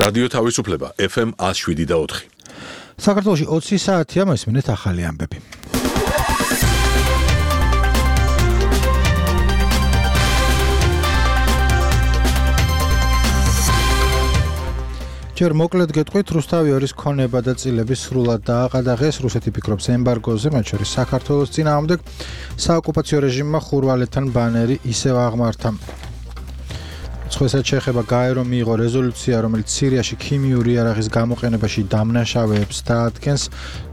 რადიო თავისუფლება FM 107.4. საქართველოში 20 საათია მოსმინეთ ახალი ამბები. ჯერ მოკლედ გეტყვით, რუსთავი ორის ქონება და წილები სრულად დააყადაღეს. რუსეთი ფიქრობს ემბარგოზე, მათ შორის საქართველოს წინააღმდეგ. საოკუპაციო რეჟიმმა ხურვალეთთან ბანერი ისევ აღმართა. სხვასაც შეეხება გაერო მიიღო რეზოლუცია, რომელიც სირიაში ქიმიური იარაღის გამოყენებაში დამნაშავეებს დაადგენს.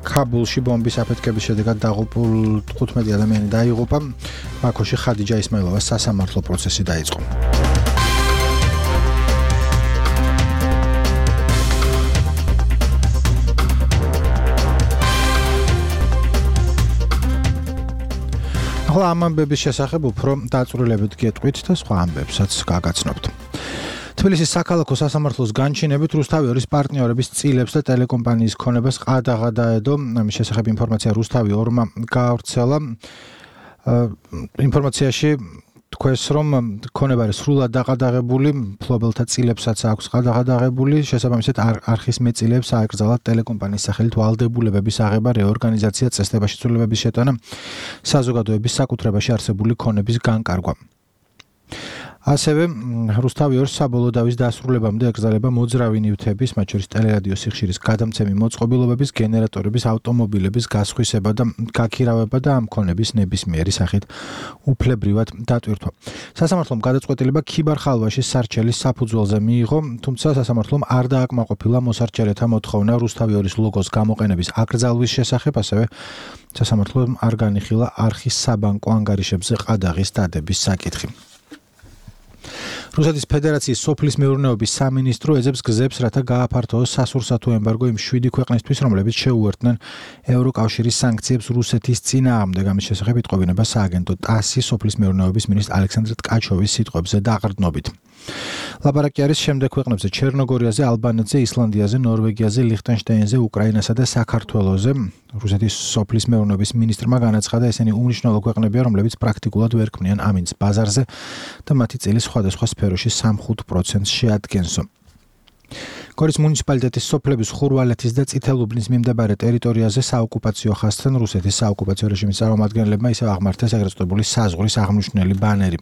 ქაბულში ბომბის აფეთქების შედეგად დაღუპულ 15 ადამიანი დაიღუპა. ბაქოში ხადიჯა ისმაილოვას სასამართლო პროცესი დაიწყო. ახლა ამ ამბების შესახებ უფრო დაწვრილებით გეტყვით და სხვა ამბებსაც გაგაცნობთ. თბილისის საქალაქო სასამართლოს განჩინებით რუსთავი ორის პარტნიორების წილებს და ტელეკომპანიის ქონებას ყადაღა დაედო. ამის შესახებ ინფორმაცია რუსთავი ორმა გაავრცელა. ინფორმაციაში თქვენს რომ ქონება არის სრულად დაყადაღებული, მფლობელთა წილებსაც აქვს ყადაღა დაღებული, შესაბამისად არხის მეწილეებს აეკრძალათ ტელეკომპანიის სახელით ვალდებულებების აღება, რეორგანიზაცია, წესდებაში ცვლილებების შეტანა, საზოგადოების საკუთრებაში არსებული ქონების განკარგვა. ასევე რუსთავი ორის საბოლოო დავის დასრულებამდე ეკრძალება მოძრავი ნივთების, მათ შორის ტელერადიო სიხშირის გადამცემი მოწყობილობების, გენერატორების, ავტომობილების გასხვისება და გაქირავება და ამ ქონების ნებისმიერი სახით უფლებრივად დატვირთვა. სასამართლომ გადაწყვეტილება ქიბარ-ხალვაშის სარჩელის საფუძველზე მიიღო, თუმცა სასამართლომ არ დააკმაყოფილა მოსარჩელეთა მოთხოვნა რუსთავი ორის ლოგოს გამოყენების აკრძალვის შესახებ, ასევე სასამართლომ არ განიხილა არხის საბანკო ანგარიშებზე ყადაღის დადების საკითხი. რუსეთის ფედერაციის სოფლის მეურნეობის სამინისტრო ეძებს გზებს, რათა გააფართოოს სასურსათო ემბარგო იმ 7 ქვეყნისთვის, რომლებიც შეუერთდნენ ევროკავშირის სანქციებს რუსეთის წინააღმდეგ. ამის შესახებ იტყობინება სააგენტო ტასის სოფლის მეურნეობის მინისტრ ალექსანდრე ტკაჩოვის სიტყვებზე დაყრდნობით. ლაპარაკი არის შემდეგ ქვეყნებზე ჩერნოგორიაზე, ალბანეთზე, ისლანდიაზე, ნორვეგიაზე, ლიხტენშტაინზე, უკრაინასა და საქართველოზე. რუსეთის სოფლის მეურნეობის მინისტრმა განაცხადა, ესენი უმნიშვნელო ქვეყნებია, რომლებიც პრაქტიკულად ვერ ქმნიან ამინდს ბაზარზე და მათი წილი სხვადასხვა სფეროში 3-5% შეადგენსო. გორის მუნიციპალიტეტის სოფლების ხურვალეთის და წითელუბნის მიმდებარე ტერიტორიაზე საოკუპაციო ხაზთან რუსეთის საოკუპაციო რეჟიმის წარმომადგენლებმა ისევ აღმართეს ეგრეთ წოდებული საზღვრის აღმნიშვნელი ბანერი.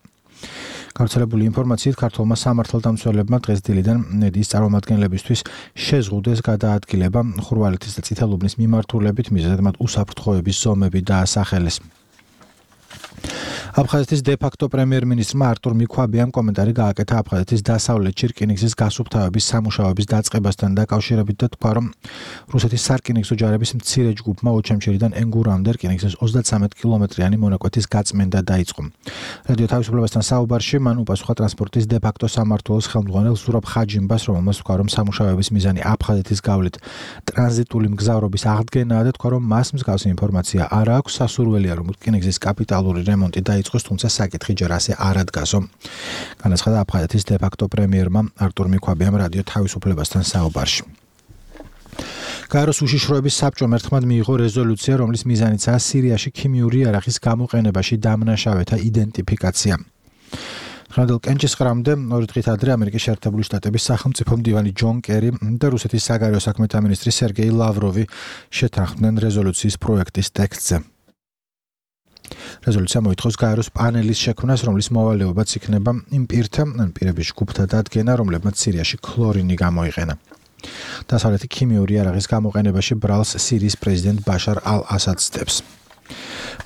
გავრცელებული ინფორმაციით ქართულმა სამართალდამცველებმა დღეს დილიდან მედიის წარმომადგენლებისთვის შეზღუდეს გადაადგილება ხურვალეთის და წითელუბნის მიმართულებით, მიზეზად მათ უსაფრთხოების ზომები დაასახელეს. აფხაზეთის დე-ფაქტო პრემიერ-მინისტრმა არტურ მიქვაბიამ კომენტარი გააკეთა აფხაზეთის დასავლეთში რკინიგზის გასუფთავების სამუშაოების დაწყებასთან დაკავშირებით და თქვა, რომ რუსეთის სარკინიგზო ჯარების მცირე ჯგუფმა ოჩამჩერიდან ენგურამდე რკინიგზის 33 კილომეტრიანი მონაკვეთის გაწმენდა დაიწყო. რადიო თავისუფლებასთან საუბარში მან უპასუხა ტრანსპორტის დე-ფაქტო სამმართველოს ხელმძღვანელ ზურაბ ხაჯიმბას, რომელმაც თქვა, რომ სამუშაოების მიზანი აფხაზეთის გავლით ტრანზიტული მგზავრობის აღდგენაა და თქვა, რომ მას მსგავსი ინფორმაცია არ აქვს. სასურველია, რომ რკინიგზის კაპიტალური რემონტი დაიწყოს, თუმცა საკითხი ჯერ ასე არ ადგასო. განაცხადა აფხაზეთის დე-ფაქტო პრემიერმა არტურ მიქვაბიამ რადიო თავისუფლებასთან საუბარში. გაეროს უშიშროების საბჭომ ერთხმად მიიღო რეზოლუცია, რომლის მიზანიცაა სირიაში ქიმიური იარაღის გამოყენებაში დამნაშავეთა იდენტიფიკაცია. ხანდელ კენჭისყრამდე 2 დღით ადრე ამერიკის შეერთებული შტატების სახელმწიფო მდივანი ჯონ კერი და რუსეთის საგარეო საქმეთა მინისტრი სერგეი ლავროვი შეთანხმდნენ რეზოლუციის პროექტის ტექსტზე. რეზოლუცია მოითხოვს გაეროს პანელის შექმნას, რომლის მოვალეობაც იქნება იმ პირთა ან პირების ჯგუფთა დადგენა, რომლებმაც სირიაში ქლორინი გამოიყენა. დასავლეთი ქიმიური იარაღის გამოყენებაში ბრალს სირიის პრეზიდენტ ბაშარ ალ-ასადს ცდებს.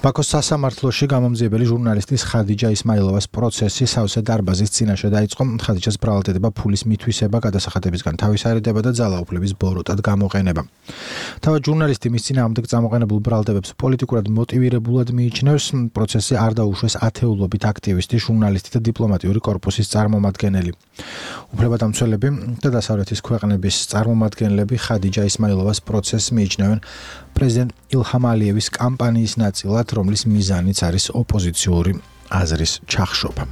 ბაქოს სასამართლოში გამომძიებელი ჟურნალისტის ხადიჯა ისმაილოვას პროცესი სავსე დარბაზის წინაშე დაიწყო. ხადიჯას ბრალდება ფულის მითვისება, გადასახადებისგან თავისარიდება და ძალაუფლების ბოროტად გამოყენება. თავად ჟურნალისტი მის წინააღმდეგ წამოყენებულ ბრალდებებს პოლიტიკურად მოტივირებულად მიიჩნევს. პროცესზე არ დაუშვეს ათეულობით აქტივისტი, ჟურნალისტი და დიპლომატიური კორპუსის წარმომადგენელი. უფლებადამცველები და დასავლეთის ქვეყნების წარმომადგენლები ხადიჯა ისმაილოვას პროცესს მიიჩნევენ პრეზიდენტ ილჰამ ალიევის კამპანიის ნაწილად, რომლის მიზანიც არის ოპოზიციური აზრის ჩახშობა.